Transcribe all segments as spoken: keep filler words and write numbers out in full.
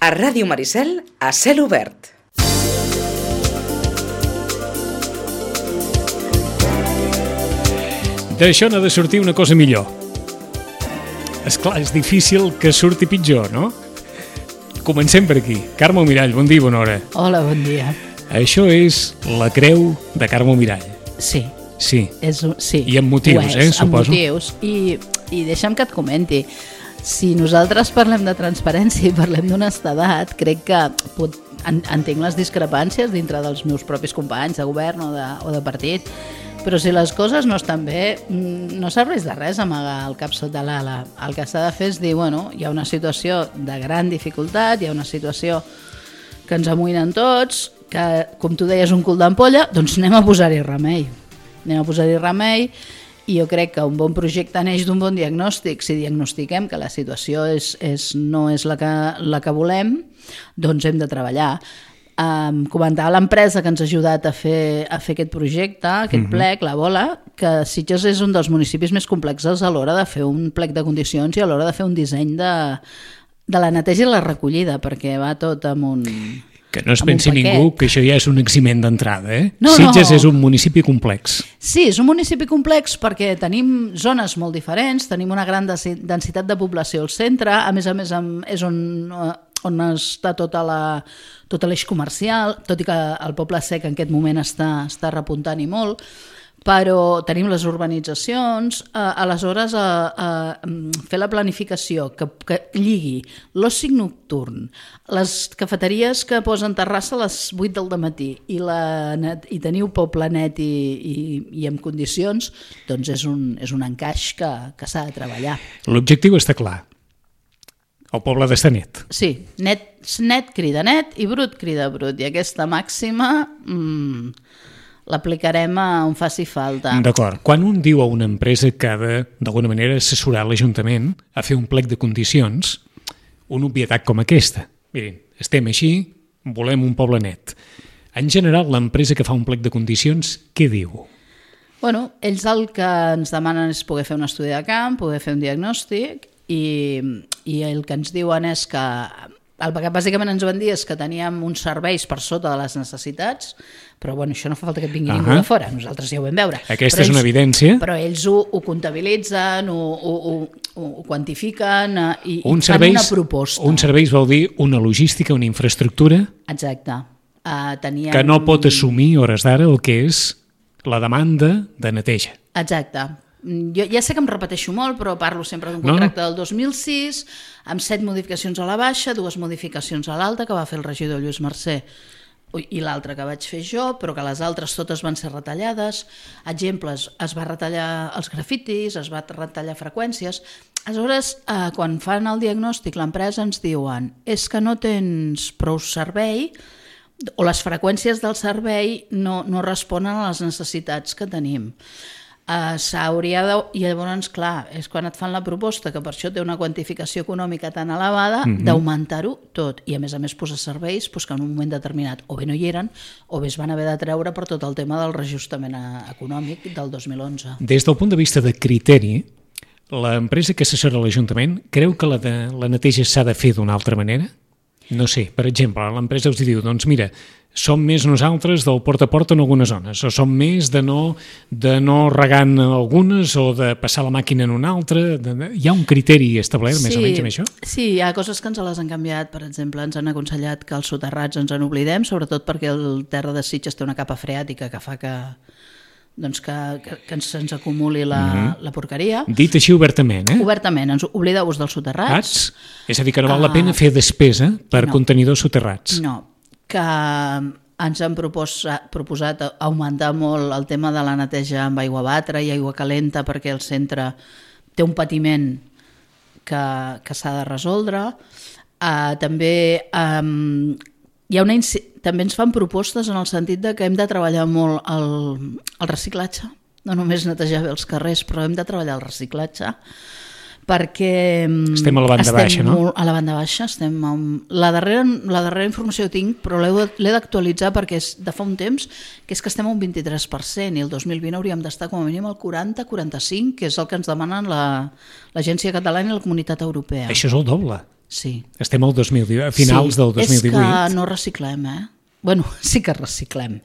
A Ràdio Maricel, a cel obert. D'això n'ha de sortir una cosa millor. Esclar, és difícil que surti pitjor, no? Comencem per aquí. Carme Mirall, bon dia, bona hora. Hola, bon dia. Això és la creu de Carme Mirall. Sí. Sí. És, sí. I amb motius, és, eh, suposo. Amb motius. I, I deixa'm que et comenti. Si nosaltres parlem de transparència i parlem d'honestedat, crec que pot, en, entenc les discrepàncies dintre dels meus propis companys de govern o de, o de partit, però si les coses no estan bé, no serveix de res amagar el cap sota l'ala. El que s'ha de fer és dir, bueno, hi ha una situació de gran dificultat, hi ha una situació que ens amoïnen tots, que, com tu deies, un cul d'ampolla, doncs anem a posar-hi remei. Anem a posar-hi remei i jo crec que un bon projecte neix d'un bon diagnòstic. Si diagnostiquem que la situació és, és, no és la que, la que volem, doncs hem de treballar. Um, comentava l'empresa que ens ha ajudat a fer, a fer aquest projecte, aquest uh-huh. plec, la Bola, que Sitges és un dels municipis més complexos a l'hora de fer un plec de condicions i a l'hora de fer un disseny de, de la neteja i la recollida, perquè va tot amb un... Que no es pensi ningú que això ja és un eximent d'entrada, eh? No, Sitges no. és un municipi complex. Sí, és un municipi complex perquè tenim zones molt diferents, tenim una gran densitat de població al centre, a més a més és on, on està tota la, tot l'eix comercial, tot i que el Poble Sec en aquest moment està, està repuntant i molt, però tenim les urbanitzacions, eh, aleshores eh, eh, fer la planificació que, que lligui l'oci nocturn, les cafeteries que posen terrassa a les vuit del dematí i, la net, i teniu poble net i, i, i en condicions, doncs és un, és un encaix que, que s'ha de treballar. L'objectiu està clar. El poble d'estar net. Sí, net, net crida net i brut crida brut, i aquesta màxima... Mmm, l'aplicarem on faci falta. D'acord. Quan un diu a una empresa que ha de, d'alguna manera, assessorar l'Ajuntament a fer un plec de condicions, una obvietat com aquesta. Mirin, estem així, volem un poble net. En general, l'empresa que fa un plec de condicions, què diu? Bueno, ells el que ens demanen és poder fer un estudi de camp, poder fer un diagnòstic, i, i el que ens diuen és que... El que bàsicament ens van dir és que teníem uns serveis per sota de les necessitats, però bueno, això no fa falta que et vingui uh-huh. ningú de fora, nosaltres ja ho vam veure. Aquesta però és ells, una evidència. Però ells ho, ho comptabilitzen, ho, ho, ho, ho quantifiquen i, un i serveis, fan una proposta. Un servei vol dir una logística, una infraestructura Exacte. Uh, teníem... que no pot assumir hores d'ara el que és la demanda de neteja. Exacte. Jo ja sé que em repeteixo molt, però parlo sempre d'un contracte no. del dos mil sis, amb set modificacions a la baixa, dues modificacions a l'alta, que va fer el regidor Lluís Mercè, i l'altra que vaig fer jo, però que les altres totes van ser retallades. Exemples, es va retallar els grafitis, es va retallar freqüències. Aleshores, eh, quan fan el diagnòstic, l'empresa ens diuen és que no tens prou servei o les freqüències del servei no, no responen a les necessitats que tenim. Uh, s'hauria de... I llavors, clar, és quan et fan la proposta, que per això té una quantificació econòmica tan elevada, mm-hmm. d'augmentar-ho tot. I a més a més posar serveis pues, que en un moment determinat o bé no hi eren o bé es van haver de treure per tot el tema del reajustament econòmic del dos mil onze. Des del punt de vista de criteri, l'empresa que assessora l'Ajuntament creu que la, de, la neteja s'ha de fer d'una altra manera? No sé, per exemple, l'empresa us diu, doncs mira, som més nosaltres del porta a porta en algunes zones, o som més de no, de no regar en algunes o de passar la màquina en una altra. De... Hi ha un criteri establert sí, més o menys amb això? Sí, hi ha coses que ens les han canviat. Per exemple, ens han aconsellat que els soterrats ens en oblidem, sobretot perquè el terra de Sitges té una capa freàtica que fa que... doncs que, que, que ens, ens acumuli la, uh-huh. la porqueria. Dit així obertament, eh? Obertament, ens oblideu-vos dels soterrats. Ats? És a dir, que no val la pena uh, fer despesa per no, contenidors soterrats. No, que ens han proposat, proposat augmentar molt el tema de la neteja amb aigua batra i aigua calenta perquè el centre té un patiment que, que s'ha de resoldre. Uh, també... Um, Hi ha una, també ens fan propostes en el sentit de que hem de treballar molt el, el reciclatge, no només netejar bé els carrers, però hem de treballar el reciclatge perquè estem a la banda baixa, no? Molt a la banda baixa, estem amb... la, darrera, la darrera informació que tinc, però l'he d'actualitzar perquè és de fa un temps, que és que estem a un vint-i-tres per cent i el dos mil vint hauríem d'estar com a mínim al quaranta a quaranta-cinc, que és el que ens demanen la, l'Agència Catalana i la Comunitat Europea. Això és el doble. sí. Estem al dos mil divuit, a finals sí, del dos mil divuit. És que no reciclem, eh? Bueno, sí que reciclem,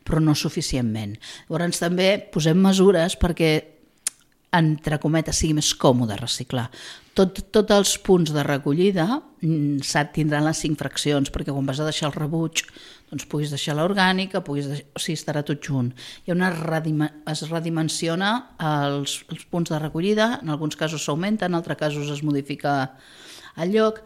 però no suficientment. Llavors també posem mesures perquè, entre cometes, sigui més còmode reciclar. Tot, tots els punts de recollida tindran les cinc fraccions, perquè quan vas a deixar el rebuig doncs puguis deixar l'orgànica, puguis deixar, o sigui, estarà tot junt. Hi ha una redima, es redimensiona els, els punts de recollida, en alguns casos s'augmenta, en altres casos es modifica el lloc.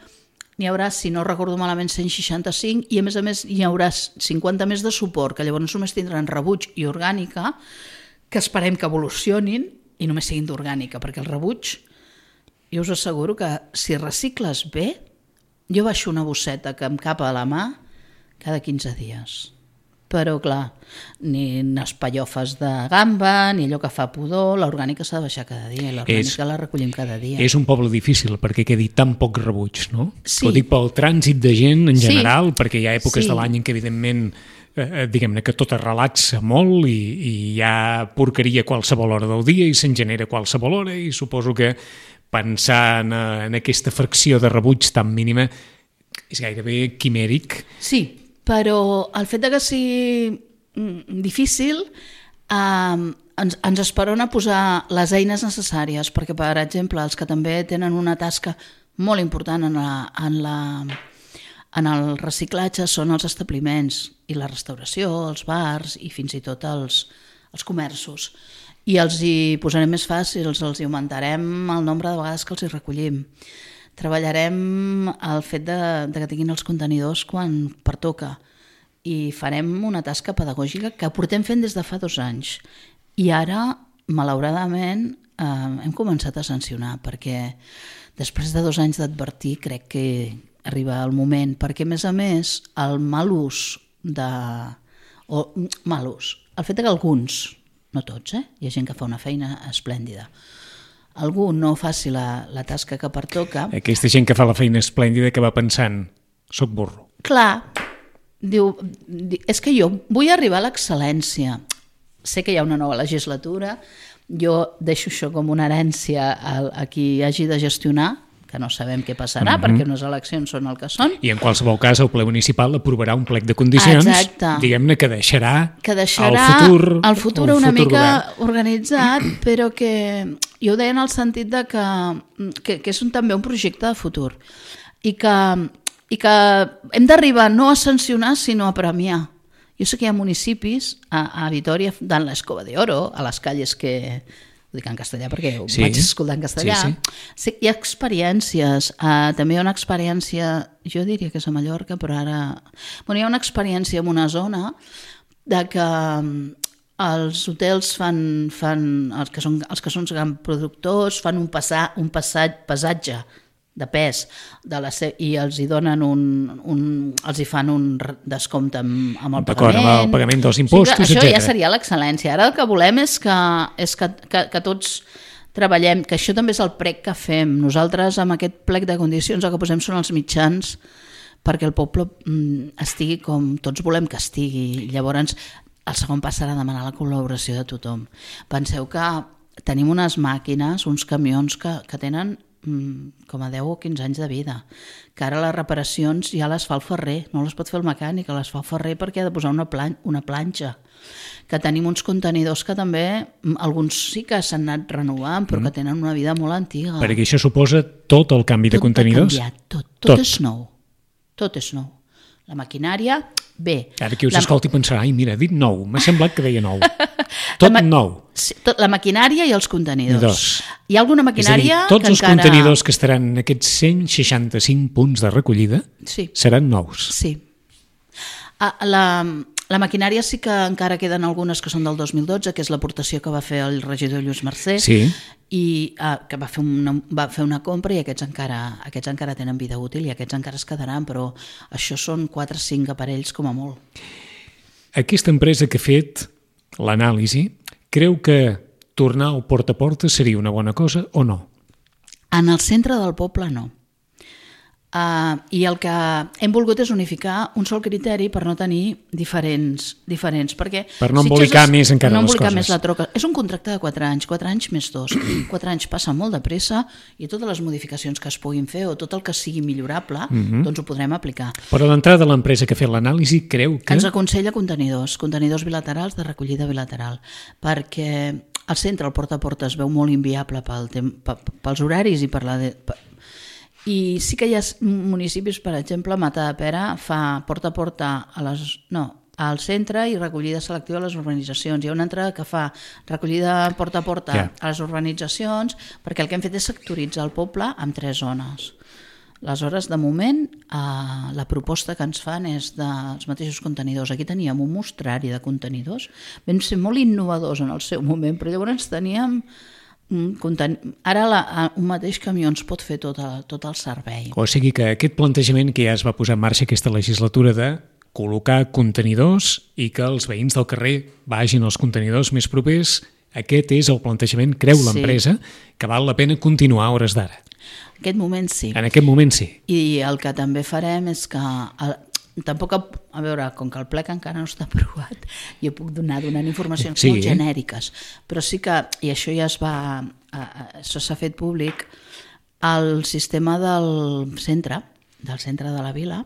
N'hi haurà, si no recordo malament, cent seixanta-cinc, i a més a més hi haurà cinquanta més de suport, que llavors només tindran rebuig i orgànica, que esperem que evolucionin i només siguin d'orgànica, perquè el rebuig, jo us asseguro que si recicles bé, jo baixo una bosseta que em capa a la mà cada quinze dies. Però, clar, ni les pallofes de gamba, ni allò que fa pudor, l'orgànica s'ha de baixar cada dia, i l'orgànica la recollim cada dia. És un poble difícil, perquè quedi tan poc rebuig, no? Sí. Ho dic pel trànsit de gent en general, sí. perquè hi ha èpoques sí. de l'any en què, evidentment, eh, diguem-ne que tot es relaxa molt i, i hi ha porqueria a qualsevol hora del dia i se'n genera a qualsevol hora, i suposo que pensar en, en aquesta fracció de rebuig tan mínima és gairebé quimèric. Sí, però el fet de que sigui difícil eh, ens, ens esperona a posar les eines necessàries, perquè, per exemple, els que també tenen una tasca molt important en, la, en, la, en el reciclatge són els establiments i la restauració, els bars i fins i tot els, els comerços. I els hi posarem més fàcils, els hi augmentarem el nombre de vegades que els hi recollim. Treballarem el fet de, de que tinguin els contenidors quan pertoca i farem una tasca pedagògica que portem fent des de fa dos anys. I ara, malauradament, eh, hem començat a sancionar, perquè després de dos anys d'advertir crec que arriba el moment, perquè a més a més el mal ús de... o mal ús, el fet que alguns, no tots, eh? Hi ha gent que fa una feina esplèndida, algú no faci la, la tasca que pertoca... Aquesta gent que fa la feina esplèndida que va pensant, soc burro. Clar, diu, és que jo vull arribar a l'excel·lència. Sé que hi ha una nova legislatura, jo deixo això com una herència a, a qui hagi de gestionar, que no sabem què passarà, mm-hmm. perquè unes eleccions són el que són. I en qualsevol cas el ple municipal aprovarà un plec de condicions, exacte. Diguem-ne que deixarà, que deixarà el futur, el futur el una futur mica govern. Organitzat, però que jo ho deia en el sentit de que, que, que és un, també un projecte de futur i que, i que hem d'arribar no a sancionar sinó a premiar. Jo sé que hi ha municipis a, a Vitòria, dan l'Escoba de Oro, a les calles que... ho dic en castellà perquè ho sí, vaig escoltar en castellà. Sí, sí. Sí, hi ha experiències, uh, també hi ha una experiència, jo diria que és a Mallorca, però ara... Bueno, hi ha una experiència en una zona de que els hotels fan, fan els, que són, els que són grans productors, fan un, passar, un passat, passatge de pes de la se- i els hi donen un, un els hi fan un descompte amb, amb el D'acord, pagament. amb el pagament dels impostos, o sigui, això etcètera. ja seria l'excel·lència. Ara el que volem és que, és que, que, que tots treballem, que això també és el prec que fem. Nosaltres amb aquest plec de condicions el que posem són els mitjans perquè el poble mm, estigui com tots volem que estigui. Llavors el segon pas serà demanar la col·laboració de tothom. Penseu que tenim unes màquines, uns camions que, que tenen com a deu o quinze anys de vida, que ara les reparacions ja les fa el ferrer, no les pot fer el mecànic, les fa el ferrer perquè ha de posar una, plan- una planxa, que tenim uns contenidors que també, alguns sí que s'han anat renovant, però mm. que tenen una vida molt antiga. Perquè això suposa tot el canvi tot de contenidors? Tot ha canviat, tot, tot, tot és nou, tot és nou. La maquinària, bé. Ara qui us la... escolti pensarà, ai mira, ha dit nou, m'ha semblat que deia nou. Tot ma... nou. Sí, tot, la maquinària i els contenidors. Dos. Hi ha alguna maquinària és a dir, tots que els encara... contenidors que estaran en aquests cent seixanta-cinc punts de recollida sí. seran nous. Sí. Ah, la, la maquinària sí que encara queden algunes que són del dos mil dotze, que és l'aportació que va fer el regidor Lluís Mercè, Sí. i ah, que va fer, una, va fer una compra i aquests encara, aquests encara tenen vida útil i aquests encara es quedaran, però això són quatre o cinc aparells com a molt. Aquesta empresa que ha fet l'anàlisi creu que tornar al porta a porta seria una bona cosa o no? En el centre del poble no. Uh, I el que hem volgut és unificar un sol criteri per no tenir diferents, diferents perquè per no Sitges embolicar és, més encara no les embolicar coses. Més la troca. És un contracte de quatre anys, quatre anys més dos. Quatre anys passa molt de pressa i totes les modificacions que es puguin fer o tot el que sigui millorable, mm-hmm. doncs ho podrem aplicar. Però d'entrada l'empresa que ha fet l'anàlisi creu que... Ens aconsella contenidors, contenidors bilaterals de recollida bilateral, perquè el centre, el porta a porta, es veu molt inviable pel tem- pels horaris i per la... De... I sí que hi ha municipis, per exemple, Matadepera fa porta a porta a les, no, al centre i recollida selectiva a les urbanitzacions. Hi ha una altra que fa recollida porta a porta yeah. a les urbanitzacions, perquè el que hem fet és sectoritzar el poble en tres zones. Aleshores, de moment, eh, la proposta que ens fan és dels mateixos contenidors. Aquí teníem un mostrari de contenidors. Vam ser molt innovadors en el seu moment, però llavors teníem... Ara la, un mateix camió ens pot fer tot el, tot el servei. O sigui que aquest plantejament que ja es va posar en marxa aquesta legislatura de col·locar contenidors i que els veïns del carrer vagin als contenidors més propers, aquest és el plantejament, creu Sí. l'empresa, que val la pena continuar a hores d'ara. En aquest moment sí. En aquest moment sí. I el que també farem és que... El, tampoc, a veure, com que el plec encara no està aprovat, jo puc donar donant informacions sí, molt genèriques, però sí que, i això ja es va, això s'ha fet públic, el sistema del centre, del centre de la vila,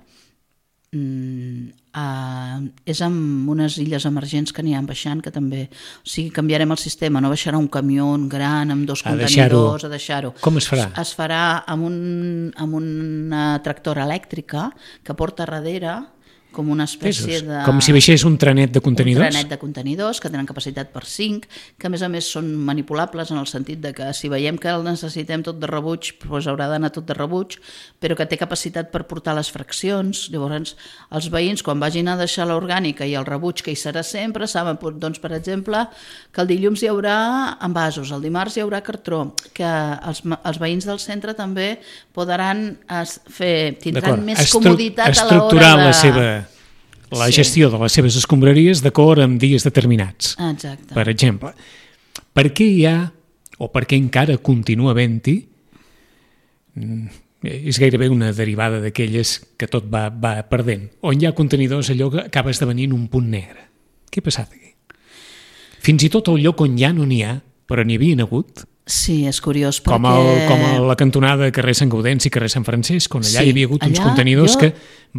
eh, és amb unes illes emergents que n'hi ha baixant, que també, o sigui, canviarem el sistema, no baixarà un camió gran amb dos a contenidors, deixar-ho. a deixar-ho. Com es farà? Es farà amb, un, amb una tractora elèctrica que porta darrere com una espècie de... Com si baixés un trenet de contenidors? Un trenet de contenidors que tenen capacitat per cinc, que a més a més són manipulables en el sentit de que si veiem que el necessitem tot de rebuig, doncs haurà d'anar tot de rebuig, però que té capacitat per portar les fraccions. Llavors, els veïns, quan vagin a deixar l'orgànica i el rebuig, que hi serà sempre, saben, doncs, per exemple, que el dilluns hi haurà envasos, el dimarts hi haurà cartró, que els, els veïns del centre també podran fer, tindran més Estru comoditat a l'hora de... Estructurar la seva... la Sí. gestió de les seves escombraries d'acord amb dies determinats. Exacte. Per exemple, per què hi ha, o per què encara continua havent-hi, és gairebé una derivada d'aquelles que tot va, va perdent, on hi ha contenidors allò que acaba esdevenint un punt negre. Què ha passat aquí? Fins i tot el lloc on ja no n'hi ha, però n'hi havien hagut, Sí, és curiós perquè... com, el, com a la cantonada carrer Sant Gaudenci i carrer Sant Francesc, on allà Sí, hi havia hagut uns allà contenidors jo- que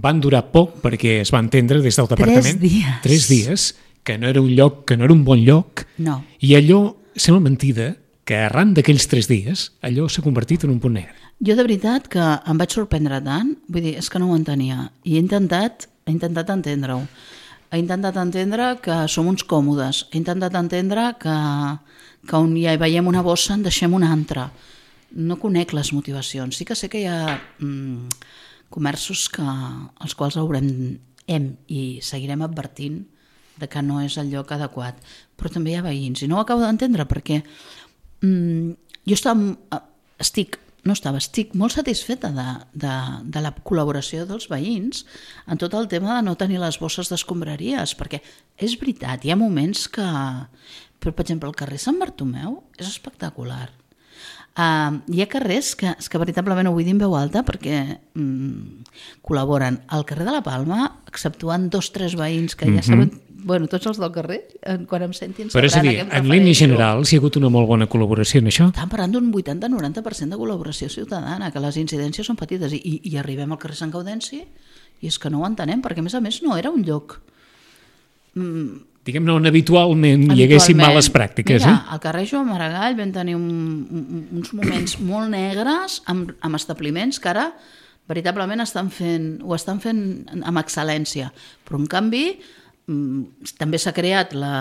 van durar poc perquè es van entendre des del departament. dies. Tres dies, que no era un lloc, que no era un bon lloc, No. i allò, sembla mentida, que arran d'aquells tres dies, allò s'ha convertit en un punt negre. Jo de veritat que em vaig sorprendre tant, vull dir, és que no ho entenia, i he intentat, he intentat entendre-ho. He intentat entendre que som uns còmodes, he intentat entendre que, que on hi veiem una bossa en deixem una altra. No conec les motivacions. Sí que sé que hi ha mm, comerços que, als quals haurem hem i seguirem advertint de que no és el lloc adequat, però també hi ha veïns, i no ho acabo d'entendre perquè mm, jo estava, estic no estava, estic molt satisfeta de, de, de la col·laboració dels veïns en tot el tema de no tenir les bosses d'escombraries, perquè és veritat, hi ha moments que... Però, per exemple, el carrer Sant Bartomeu és espectacular. Uh, hi ha carrers que, és que veritablement ho vull dir en veu alta perquè mm, col·laboren. Al carrer de la Palma, exceptuant dos o tres veïns que ja mm-hmm. saben... Bueno, tots els del carrer, quan em sentin... Però és a dir, en línies generals hi ha hagut una molt bona col·laboració en això? Estan parlant d'un vuitanta a noranta per cent de col·laboració ciutadana, que les incidències són petites, i, i arribem al carrer Sant Gaudenci i és que no ho entenem, perquè a més a més no era un lloc... Mm, Diguem-ne, on habitualment, habitualment hi haguessin males pràctiques. Mira, eh? al carrer Joan Maragall vam tenir un, un, uns moments molt negres amb, amb establiments que ara veritablement estan fent, ho estan fent amb excel·lència, però en canvi també s'ha creat la,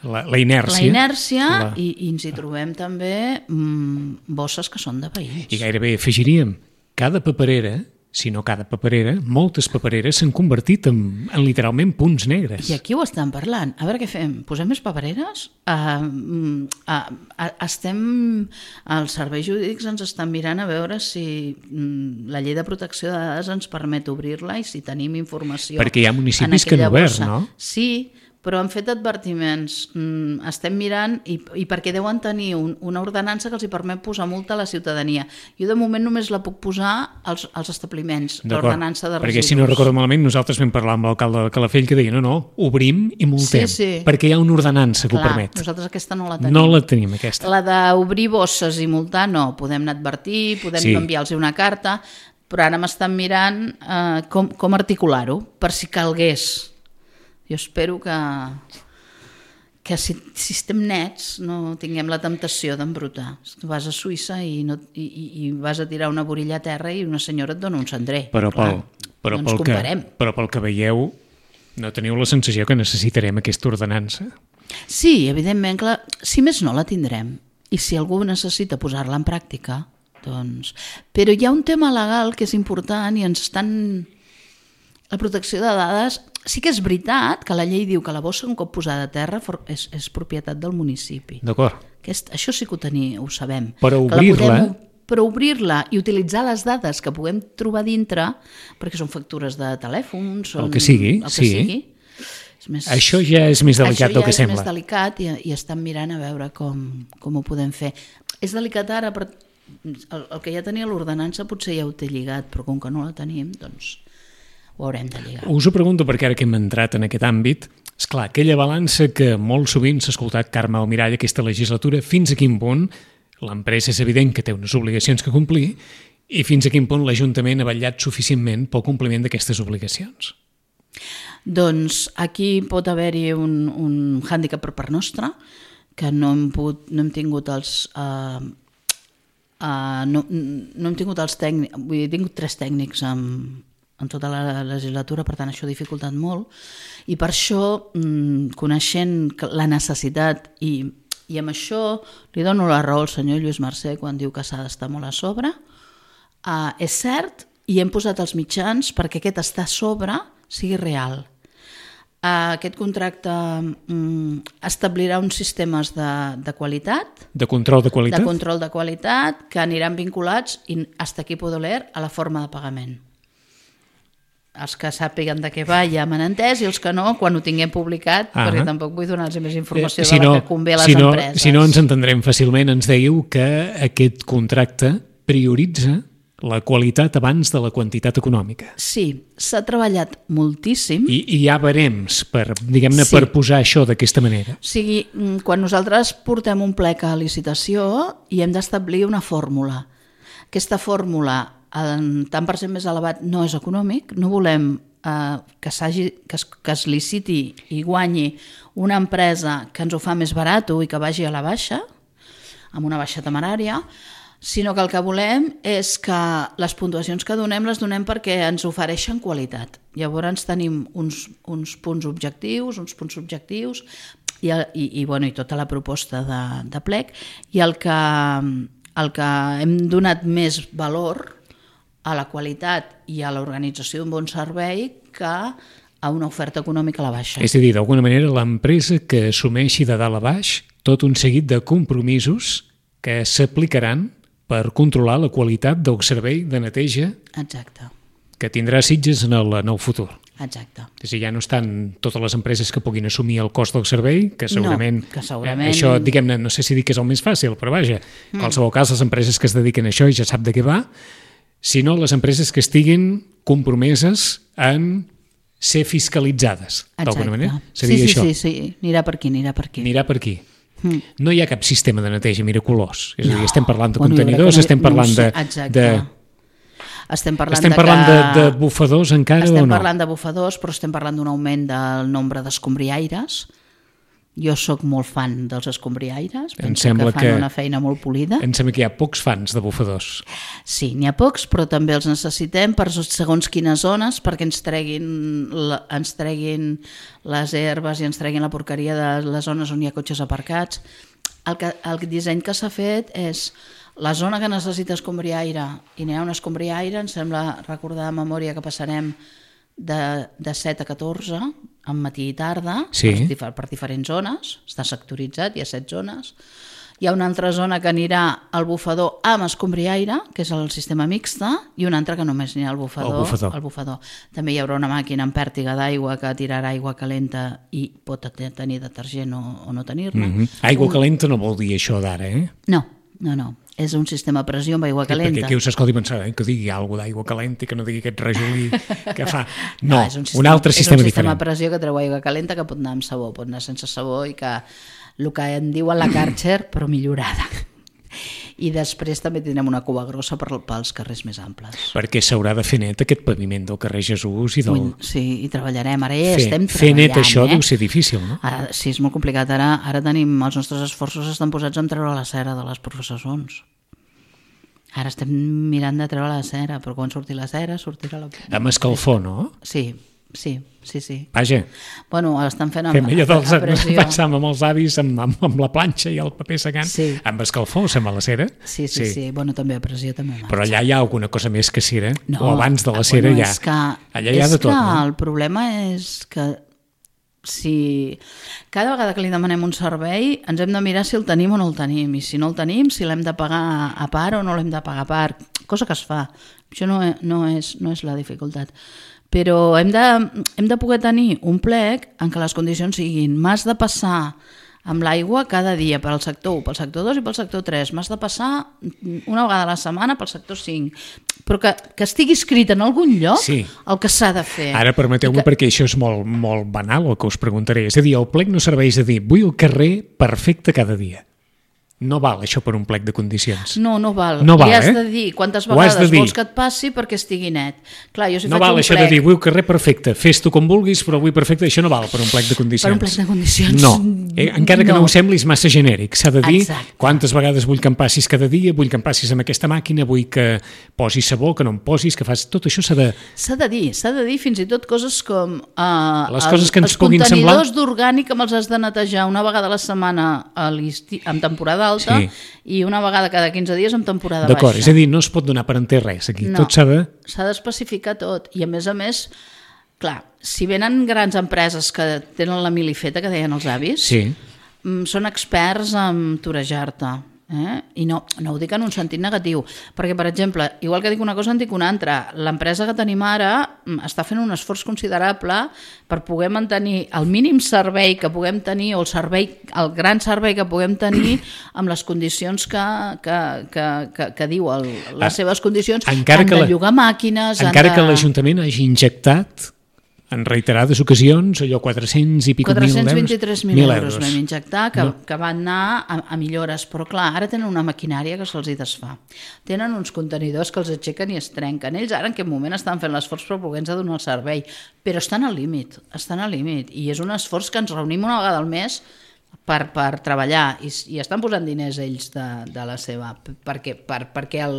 la, la inèrcia, la inèrcia la... I, i ens hi trobem també mmm, bosses que són de veïns. I gairebé afegiríem, cada paperera, si no cada paperera, moltes papereres s'han convertit en, en literalment punts negres. I aquí ho estan parlant. A veure què fem? Posem més papereres? Uh, uh, uh, estem... Els serveis jurídics ens estan mirant a veure si uh, la llei de protecció de dades ens permet obrir-la i si tenim informació. Perquè hi ha municipis que han obert, no? Sí, però han fet advertiments. Mm, estem mirant, i, i perquè deuen tenir un, una ordenança que els hi permet posar multa a la ciutadania. Jo de moment només la puc posar als, als establiments, l'ordenança de residus. Perquè si no recordo malament, nosaltres vam parlar amb l'alcalde de Calafell que deia, no, no, obrim i multem, sí, sí. perquè hi ha una ordenança que Clar, ho permet. Nosaltres aquesta no la tenim. No la tenim, aquesta. La d'obrir bosses i multar, no. Podem anar a advertir, podem sí. enviar-los una carta, però ara m'estan mirant eh, com, com articular-ho, per si calgués. Jo espero que, que si, si estem nets no tinguem la temptació d'embrutar. Tu vas a Suïssa i, no, i, i vas a tirar una borilla a terra i una senyora et dona un cendrer. Però, pel, però, no pel que, però pel que veieu, no teniu la sensació que necessitarem aquesta ordenança? Sí, evidentment, clar, si més no la tindrem. I si algú necessita posar-la en pràctica, doncs... Però hi ha un tema legal que és important i ens estan... La protecció de dades... Sí que és veritat que la llei diu que la bossa un cop posada a terra és, és propietat del municipi. D'acord. Aquest, això sí que ho, teni, ho sabem. Però obrir-la... Però obrir-la i utilitzar les dades que puguem trobar dintre, perquè són factures de telèfons... Són, el que sigui, el que sí. sigui. És més, això ja és més delicat del que sembla. Això ja és més delicat i, i estan mirant a veure com, com ho podem fer. És delicat ara, però el, el que ja tenia l'ordenança potser ja ho té lligat, però com que no la tenim, doncs... ho haurem de lligar. Us ho pregunto perquè ara que hem entrat en aquest àmbit, esclar, aquella balança que molt sovint s'ha escoltat Carme Almirall aquesta legislatura, fins a quin punt l'empresa és evident que té unes obligacions que complir i fins a quin punt l'Ajuntament ha vetllat suficientment pel compliment d'aquestes obligacions? Doncs aquí pot haver-hi un, un hàndicap per part nostra, que no hem, pogut, no hem tingut els... Uh, uh, no, no hem tingut els tècnics, vull dir, he tingut tres tècnics amb en tota la legislatura, per tant això ha dificultat molt, i per això, coneixent la necessitat, i, i amb això li dono la raó al senyor Lluís Mercè quan diu que s'ha d'estar molt a sobre, uh, és cert, i hem posat els mitjans perquè aquest estar a sobre sigui real. Uh, aquest contracte um, establirà uns sistemes de, de qualitat, de control de qualitat, de control de qualitat que aniran vinculats, i hasta aquí puedo leer, a la forma de pagament. Els que sàpiguen de què va ja m'han entès i els que no, quan ho tinguem publicat, ah, perquè tampoc vull donar-los més informació eh, si de la no, que convé a les si no, empreses. Si no ens entendrem fàcilment, ens dèieu que aquest contracte prioritza la qualitat abans de la quantitat econòmica. Sí, s'ha treballat moltíssim. I, i hi ha barems per, diguem-ne, sí. per posar això d'aquesta manera. O sigui, quan nosaltres portem un plec a licitació i hem d'establir una fórmula. Aquesta fórmula, en tant per cent més elevat, no és econòmic, no volem eh, que, que, es, que es liciti i guanyi una empresa que ens ho fa més barat i que vagi a la baixa, amb una baixa temerària, sinó que el que volem és que les puntuacions que donem les donem perquè ens ofereixen qualitat. Llavors tenim uns, uns punts objectius, uns punts subjectius i, i, i, bueno, i tota la proposta de, de plec, i el que, el que hem donat més valor a la qualitat i a l'organització d'un bon servei que a una oferta econòmica a la baixa. És a dir, d'alguna manera, l'empresa que assumeixi de dalt a baix tot un seguit de compromisos que s'aplicaran per controlar la qualitat del servei de neteja Exacte. que tindrà Sitges en el, en el futur. Exacte. És a dir, ja no estan totes les empreses que puguin assumir el cost del servei, que segurament... No, que segurament... Eh, això, diguem-ne, no sé si dic que és el més fàcil, però vaja, en qualsevol cas, les empreses que es dediquen a això i ja sap de què va, sinó les empreses que estiguin compromeses en ser fiscalitzades, d'alguna manera. Seria sí, sí, això. sí, sí, anirà per aquí, anirà per aquí. Anirà per aquí. Mm. No hi ha cap sistema de neteja miraculós. És a dir, no. estem parlant de bueno, contenidors, no, estem parlant no de... Exacte. de estem parlant, estem de, parlant que... de, de bufadors encara estem o no? Estem parlant de bufadors, però estem parlant d'un augment del nombre d'escombriaires. Jo sóc molt fan dels escombriaires, penso que fan que... una feina molt polida. Em sembla que hi ha pocs fans de bufadors. Sí, n'hi ha pocs, però també els necessitem per segons quines zones, perquè ens treguin, la, ens treguin les herbes i ens treguin la porqueria de les zones on hi ha cotxes aparcats. El, que, el disseny que s'ha fet és la zona que necessita escombriaire, i n'hi ha un escombriaire, em sembla recordar de memòria que passarem de, de set a catorze, en matí i tarda, sí. per, per diferents zones, està sectoritzat, hi ha set zones, Hi ha una altra zona que anirà al bufador amb escombriaire, que és el sistema mixta, i una altra que només anirà al bufador. El bufador. Al bufador. També hi haurà una màquina amb pèrtiga d'aigua que tirarà aigua calenta i pot tenir detergent o, o no tenir-ne. Mm -hmm. Aigua un... calenta no vol dir això d'ara, eh? No, no, no. És un sistema a pressió amb aigua calenta. Perquè aquí us escolti pensar eh, que digui alguna d'aigua calenta i que no digui aquest rajolí que fa... No, no és un, sistema, un altre sistema diferent. És un sistema diferent. a pressió que treu aigua calenta que pot anar amb sabó, pot anar sense sabó i que el que en diuen la Karcher, però millorada. I després també tindrem una cua grossa per, pels carrers més amples. Perquè s'haurà de fer net aquest paviment del carrer Jesús i del... Sí, i treballarem. Ara ja fer, estem fer treballant. Fer net això eh? deu ser difícil, no? Ara, sí, és molt complicat. Ara, ara tenim, els nostres esforços estan posats en treure la cera de les professors. Ara estem mirant de treure la cera, però quan surti la cera, sortirà la... Amb escalfor, no? Sí, sí, sí, sí. Vaja. Bueno, l'estan fent amb, Fem allò dels, a pressió. Passam amb els avis, amb, amb, amb la planxa i el paper secant. Sí. Amb escalfor, sembla la cera? Sí, sí, sí, sí. Bueno, també a pressió també marxa. Però allà hi ha alguna cosa més que cera? No, o abans de la cera bueno, ja? És que, allà hi ha de tot, és que no? El problema és que si cada vegada que li demanem un servei ens hem de mirar si el tenim o no el tenim, i si no el tenim, si l'hem de pagar a part o no l'hem de pagar a part, cosa que es fa. Això no, no, és, no és la dificultat. Però hem de, hem de poder tenir un plec en què les condicions siguin: m'has de passar amb l'aigua cada dia per al sector u, pel sector dos i pel sector tres, m'has de passar una vegada a la setmana pel sector cinc, però que, que estigui escrit en algun lloc sí. el que s'ha de fer. Ara permeteu-me, que... perquè això és molt, molt banal el que us preguntaré, és a dir, el plec no serveix a dir vull el carrer perfecte cada dia. No val això per un plec de condicions. No, no val. No val, I has eh? de dir quantes vegades vols que et passi perquè estigui net. Clar, jo si no faig val un això plec... de dir vull carrer perfecte, fes-tu com vulguis, però vull perfecte, això no val per un plec de condicions. Per un plec de condicions. No, eh? encara que no. no ho semblis massa genèric. S'ha de dir Exacte. Quantes vegades vull que em passis cada dia, vull que em passis amb aquesta màquina, vull que posis sabó, que no em posis, que fas... Tot això s'ha de... S'ha de dir, s'ha de dir fins i tot coses com... Uh, Les coses que ens puguin semblar... Els contenidors d'orgànic que els has de netejar una vegada a la setmana a en temporada alta sí. i una vegada cada quinze dies en temporada baixa. D'acord, és a dir, no es pot donar per enter res aquí, no, tot s'ha de... S'ha d'especificar tot, i a més a més, clar, si venen grans empreses que tenen la mili feta, que deien els avis, sí. són experts en torejar-te, eh? I no, no ho dic en un sentit negatiu, perquè, per exemple, igual que dic una cosa en dic una altra, l'empresa que tenim ara està fent un esforç considerable per poder mantenir el mínim servei que puguem tenir, o el servei, el gran servei que puguem tenir amb les condicions que, que, que, que, que diu el, les ah, seves condicions. Encara han que de la, llogar màquines... Encara de... que l'Ajuntament hagi injectat en reiterades ocasions, allò quatre-cents i pico mil euros. quatre-cents vint-i-tres mil euros vam injectar, que, no. que van anar a, a millores, però clar, ara tenen una maquinària que se'ls hi desfà. Tenen uns contenidors que els aixequen i es trenquen. Ells ara en aquest moment estan fent l'esforç per poder-nos donar el servei, però estan al límit, estan al límit, i és un esforç que ens reunim una vegada al mes per, per treballar, i, i estan posant diners ells de, de la seva, perquè, per, perquè el,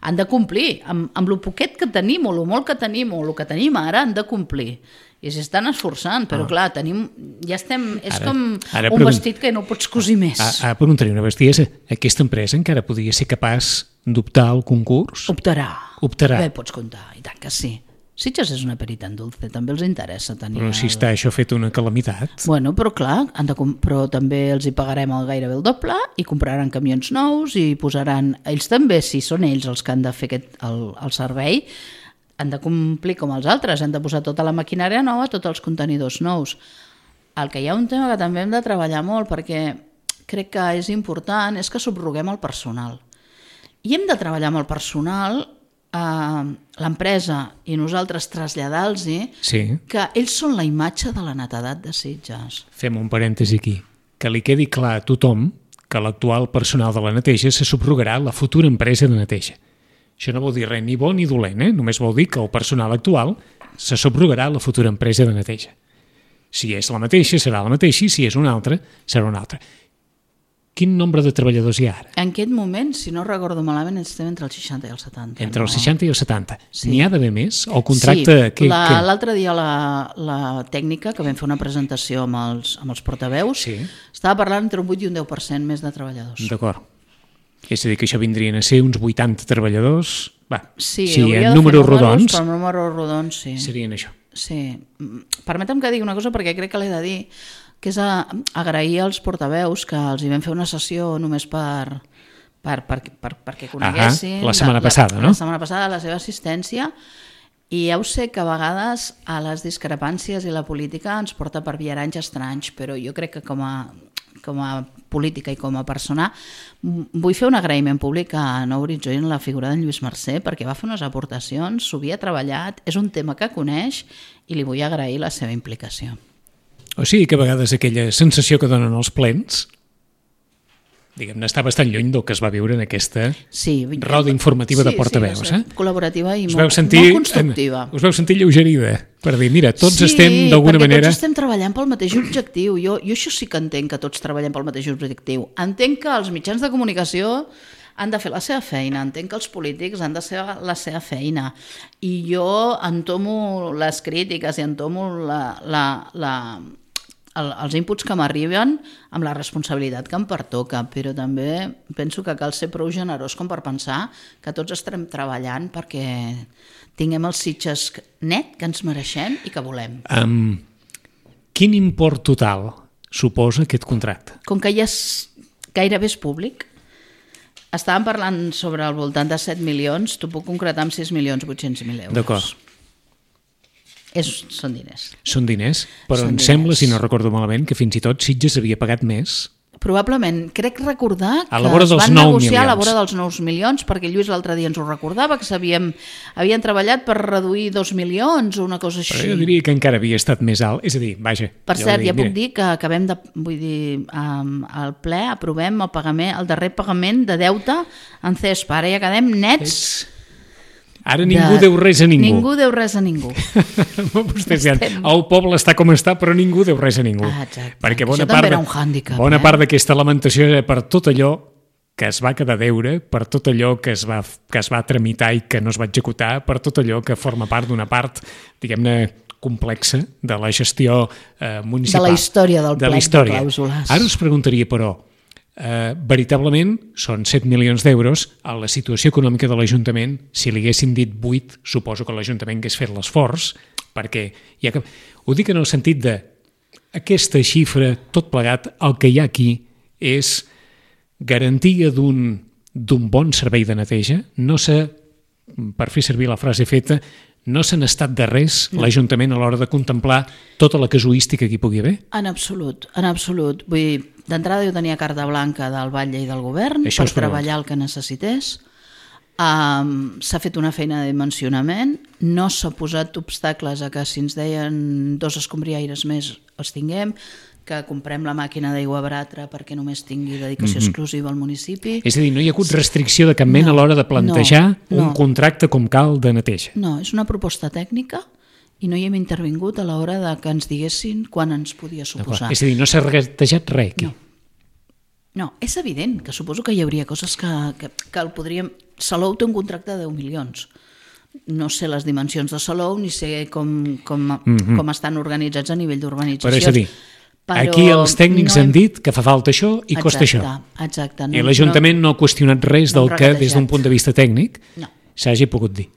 han de complir, amb, amb el poquet que tenim, o el molt que tenim, o el que tenim ara, han de complir, i s'estan esforçant, però ah. clar, tenim, ja estem, és ara, com ara un vestit que no pots cosir més. Ara preguntaré una bestiesa, aquesta empresa encara podria ser capaç d'optar al concurs? Optarà. Optarà. Bé, pots comptar, i tant que sí. Sitges és una perita en dulce, també els interessa tenir... Però si està això fet una calamitat... Bueno, però clar, han de però també els hi pagarem el gairebé el doble i compraran camions nous i posaran... Ells també, si són ells els que han de fer aquest, el, el servei, han de complir com els altres, han de posar tota la maquinària nova, tots els contenidors nous. El que hi ha un tema que també hem de treballar molt, perquè crec que és important, és que subroguem el personal. I hem de treballar amb el personal... l'empresa i nosaltres traslladar-los sí. que ells són la imatge de la netedat de Sitges. Fem un parèntesi aquí. Que li quedi clar a tothom que l'actual personal de la neteja se subrogarà a la futura empresa de neteja. Això no vol dir res ni bo ni dolent, eh? Només vol dir que el personal actual se subrogarà a la futura empresa de neteja. Si és la mateixa, serà la mateixa, i si és una altra, serà una altra. Quin nombre de treballadors hi ha ara? En aquest moment, si no recordo malament, estem entre els seixanta i els setanta. Entre no? els seixanta i els setanta. Sí. N'hi ha d'haver més? El contracte... Sí, l'altre dia la, la tècnica, que vam fer una presentació amb els, amb els portaveus, sí. estava parlant entre un vuit i un deu per cent més de treballadors. D'acord. És a dir, que això vindrien a ser uns vuitanta treballadors... Va, sí, sí en números rodons... Per números rodons, sí. Serien això. Sí. Permetem que digui una cosa, perquè crec que l'he de dir, que és a, agrair als portaveus que els hi vam fer una sessió només per, per, per, per, perquè coneguessin... Ahà, la setmana la, passada, la, no? La setmana passada, la seva assistència, i ja ho sé que a vegades a les discrepàncies i la política ens porta per viaranys estranys, però jo crec que com a, com a política i com a persona vull fer un agraïment públic a Nou Horitzó i en la figura d'en Lluís Mercè, perquè va fer unes aportacions, s'ho havia treballat, és un tema que coneix i li vull agrair la seva implicació. O sigui que a vegades aquella sensació que donen els plens, diguem-ne, està bastant lluny del que es va viure en aquesta sí, roda informativa sí, de portaveus. Sí, eh? Col·laborativa i us molt, sentir, molt constructiva. Us veu sentir lleugerida per dir, mira, tots sí, estem d'alguna manera... Sí, perquè tots estem treballant pel mateix objectiu. Jo, jo això sí que entenc que tots treballem pel mateix objectiu. Entenc que els mitjans de comunicació han de fer la seva feina, entenc que els polítics han de fer la seva feina. I jo entomo les crítiques i entomo la... la, la el, els inputs que m'arriben amb la responsabilitat que em pertoca, però també penso que cal ser prou generós com per pensar que tots estem treballant perquè tinguem els sitges net que ens mereixem i que volem. Um, quin import total suposa aquest contracte? Com que ja és, gairebé és públic, estàvem parlant sobre al voltant de set milions, t'ho puc concretar amb sis milions vuit-cents mil euros. D'acord. És, són diners. Són diners, però són em diners. sembla, si no recordo malament, que fins i tot Sitges havia pagat més. Probablement, crec recordar que a la vora es dels van nou negociar milions. a la vora dels nou milions, perquè Lluís l'altre dia ens ho recordava, que s'havien havien treballat per reduir dos milions o una cosa així. Però jo diria que encara havia estat més alt, és a dir, vaja... Per cert, dir, ja puc mira, dir que acabem de, vull dir, um, al ple aprovem el pagament, el darrer pagament de deute en C E S P. Ara ja quedem nets... ets... Ara ningú deu res a ningú. Ningú deu res a ningú. Vostès diran, el poble està com està, però ningú deu res a ningú. Ah, exacte. Perquè bona Això també part, era un hàndicap. bona eh? part d'aquesta lamentació era per tot allò que es va quedar a deure, per tot allò que es va, que es va tramitar i que no es va executar, per tot allò que forma part d'una part, diguem-ne, complexa de la gestió eh, municipal. De la història del de plec la història. de clàusules. Ara us preguntaria, però, eh, veritablement són set milions d'euros, a la situació econòmica de l'Ajuntament, si li haguessin dit vuit, suposo que l'Ajuntament hagués fet l'esforç, perquè ja que... ho dic en el sentit de aquesta xifra, tot plegat, el que hi ha aquí és garantia d'un d'un bon servei de neteja, no s'ha, per fer servir la frase feta, no se n'ha estat de res no. l'Ajuntament a l'hora de contemplar tota la casuística que hi pugui haver? En absolut, en absolut. Vull dir, d'entrada jo tenia carta blanca del batlle i del govern Això per treballar el que necessités. Um, s'ha fet una feina de dimensionament, no s'ha posat obstacles a que si ens deien dos escombriaires més els tinguem, que comprem la màquina d'aigua baratra perquè només tingui dedicació mm-hmm. exclusiva al municipi. És a dir, no hi ha hagut restricció de cap mena no, a l'hora de plantejar no, no. un contracte com cal de neteja. No, és una proposta tècnica i no hi hem intervingut a l'hora de que ens diguessin quan ens podia suposar. És a dir, no s'ha regatejat res aquí. No. no, és evident que suposo que hi hauria coses que, que, que el podríem... Salou té un contracte de deu milions. No sé les dimensions de Salou ni sé com, com, mm-hmm. com estan organitzats a nivell d'urbanització. Però és a dir, Però aquí els tècnics no hem... han dit que fa falta això i exacte, costa això. Exacte. No, I l'Ajuntament no, no ha qüestionat res no del que, des d'un punt de vista tècnic, no. s'hagi pogut dir.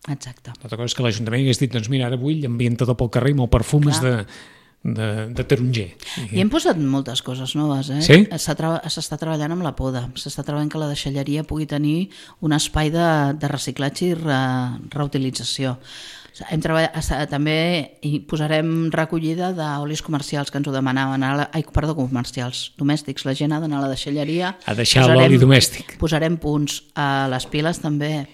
Exacte. L'altra cosa és que l'Ajuntament hagués dit, doncs mira, ara vull ambientador pel carrer amb el perfum de, de, de taronger. I hem posat moltes coses noves. Eh? Sí? S'està treballant amb la poda, s'està treballant que la deixalleria pugui tenir un espai de, de reciclatge i re, reutilització. Hem treballat, també hi posarem recollida d'olis comercials que ens ho demanaven, la, ai, perdó, comercials, domèstics, la gent ha d'anar a la deixalleria. A deixar l'oli domèstic. Posarem punts a les piles també.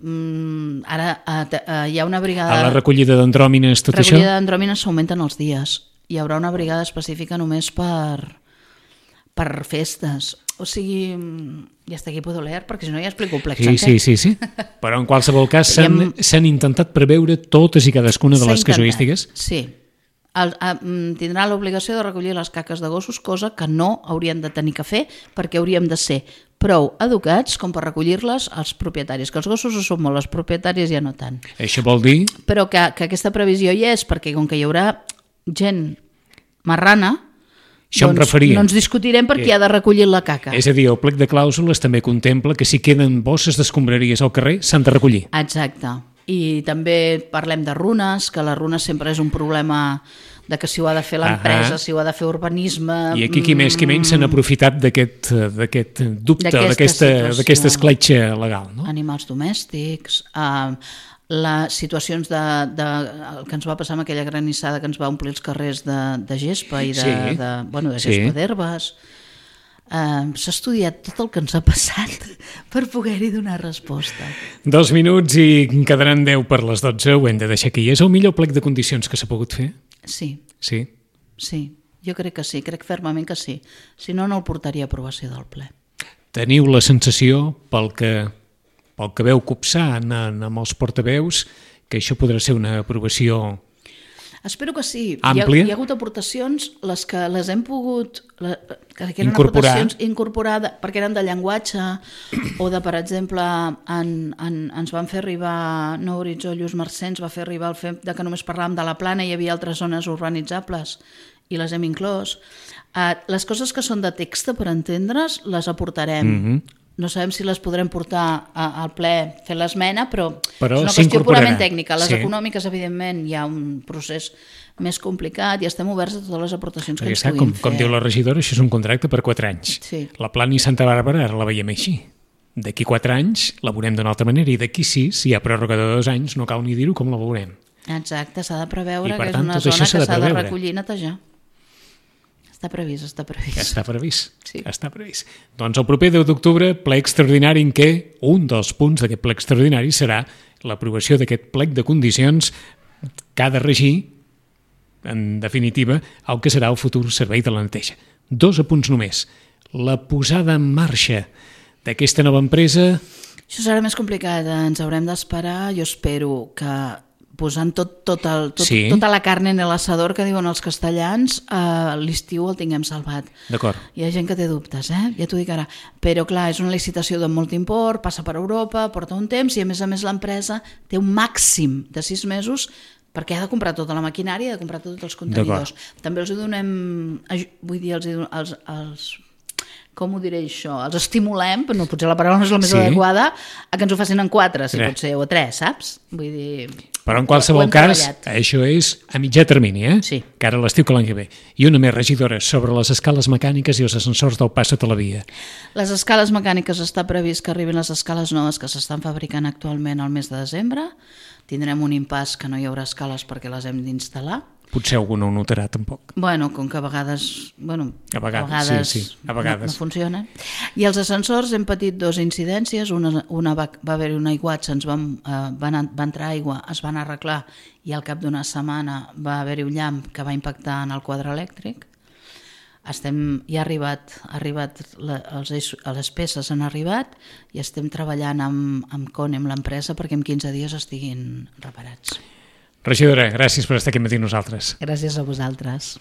Mm, ara a, a, hi ha una brigada... A la recollida d'andròmines, tot recollida això? Recollida d'andròmines s'augmenten els dies. Hi haurà una brigada específica només per, per festes. O sigui, ja està aquí puedo leer, perquè si no ja explico el plec sí, sí, sí, sí. Però en qualsevol cas s'han hem... intentat preveure totes i cadascuna de les casuístiques. Sí. El, a, tindrà l'obligació de recollir les caques de gossos, cosa que no haurien de tenir que fer perquè hauríem de ser prou educats com per recollir-les als propietaris, que els gossos ho són molt, els propietaris ja no tant. Això vol dir? Però que, que aquesta previsió hi és, perquè com que hi haurà gent marrana, això doncs em referia. No ens discutirem per qui ha de recollir la caca. És a dir, el plec de clàusules també contempla que si queden bosses d'escombraries al carrer s'han de recollir. Exacte. I també parlem de runes, que les runes sempre és un problema de que si ho ha de fer l'empresa, si ho ha de fer urbanisme... I aquí qui més qui menys s'han aprofitat d'aquest d'aquest dubte, d'aquesta d'aquesta escletxa legal, no? Animals domèstics, eh, les situacions de, de, el que ens va passar amb aquella granissada que ens va omplir els carrers de, de gespa i de, sí. de, bueno, de gespa sí. d'herbes. Uh, s'ha estudiat tot el que ens ha passat per poder-hi donar resposta. Dos minuts i quedaran deu per les dotze, ho hem de deixar aquí. És el millor plec de condicions que s'ha pogut fer? Sí. Sí? Sí, jo crec que sí, crec fermament que sí. Si no, no el portaria a aprovació del ple. Teniu la sensació, pel que, pel que veu copsar en, amb els portaveus, que això podrà ser una aprovació... Espero que sí. Àmplia. Hi ha, hi ha hagut aportacions, les que les hem pogut... La, que eren incorporar. aportacions incorporades, perquè eren de llenguatge, o de, per exemple, en, en, ens van fer arribar, no Horitzó, Lluís Marcens va fer arribar el fet de que només parlàvem de la Plana i hi havia altres zones urbanitzables, i les hem inclòs. Uh, les coses que són de text, per entendre's, les aportarem. Mm-hmm. No sabem si les podrem portar a, al ple fer l'esmena, però, però és una qüestió purament tècnica. Les sí. econòmiques, evidentment, hi ha un procés més complicat i estem oberts a totes les aportacions que ens puguin com, fer. Com diu la regidora, això és un contracte per quatre anys. Sí. La Plana i Santa Bàrbara ara la veiem així. D'aquí quatre anys la veurem d'una altra manera i d'aquí sis, si hi ha pròrroga de dos anys, no cal ni dir-ho com la veurem. Exacte, s'ha de preveure I, per que tant, és una tot zona que s'ha de preveure. recollir i netejar. Està previst, està previst. Està previst, sí. està previst. Doncs el proper deu d'octubre, ple extraordinari en què un dels punts d'aquest ple extraordinari serà l'aprovació d'aquest plec de condicions que ha de regir, en definitiva, el que serà el futur servei de la neteja. Dos apunts només. La posada en marxa d'aquesta nova empresa... Això serà més complicat, ens haurem d'esperar. Jo espero que posant tot, tot el, tot, sí. tota la carn en l'assador que diuen els castellans, eh, l'estiu el tinguem salvat. D'acord. Hi ha gent que té dubtes, eh? Ja t'ho dic ara. Però clar, és una licitació de molt import, passa per Europa, porta un temps i a més a més l'empresa té un màxim de sis mesos perquè ha de comprar tota la maquinària i ha de comprar tots els contenidors. També els donem, vull dir, els, els, els com ho diré això, els estimulem, però no, potser la paraula no és la més sí. adequada, a que ens ho facin en quatre, si pot ser, o tres, saps? Vull dir... Però en qualsevol cas, això és a mitjà termini, eh? Sí. Que ara l'estiu que l'any que ve. I una més, regidora, sobre les escales mecàniques i els ascensors del pas sota la via. Les escales mecàniques està previst que arribin les escales noves que s'estan fabricant actualment al mes de desembre. Tindrem un impàs que no hi haurà escales perquè les hem d'instal·lar. Potser algú no ho notarà, tampoc. Bueno, com que a vegades... Bueno, a vegades, a vegades, sí, sí. A vegades. No, no funciona. I els ascensors hem patit dues incidències. Una, una va, va haver-hi un aiguat, se'ns van, uh, van, va entrar aigua, es van arreglar i al cap d'una setmana va haver-hi un llamp que va impactar en el quadre elèctric. Estem, ja ha arribat, ha arribat la, els, les peces han arribat i estem treballant amb, amb Cone, amb l'empresa, perquè en quinze dies estiguin reparats. Regidora, gràcies per estar aquí amb nosaltres. Gràcies a vosaltres.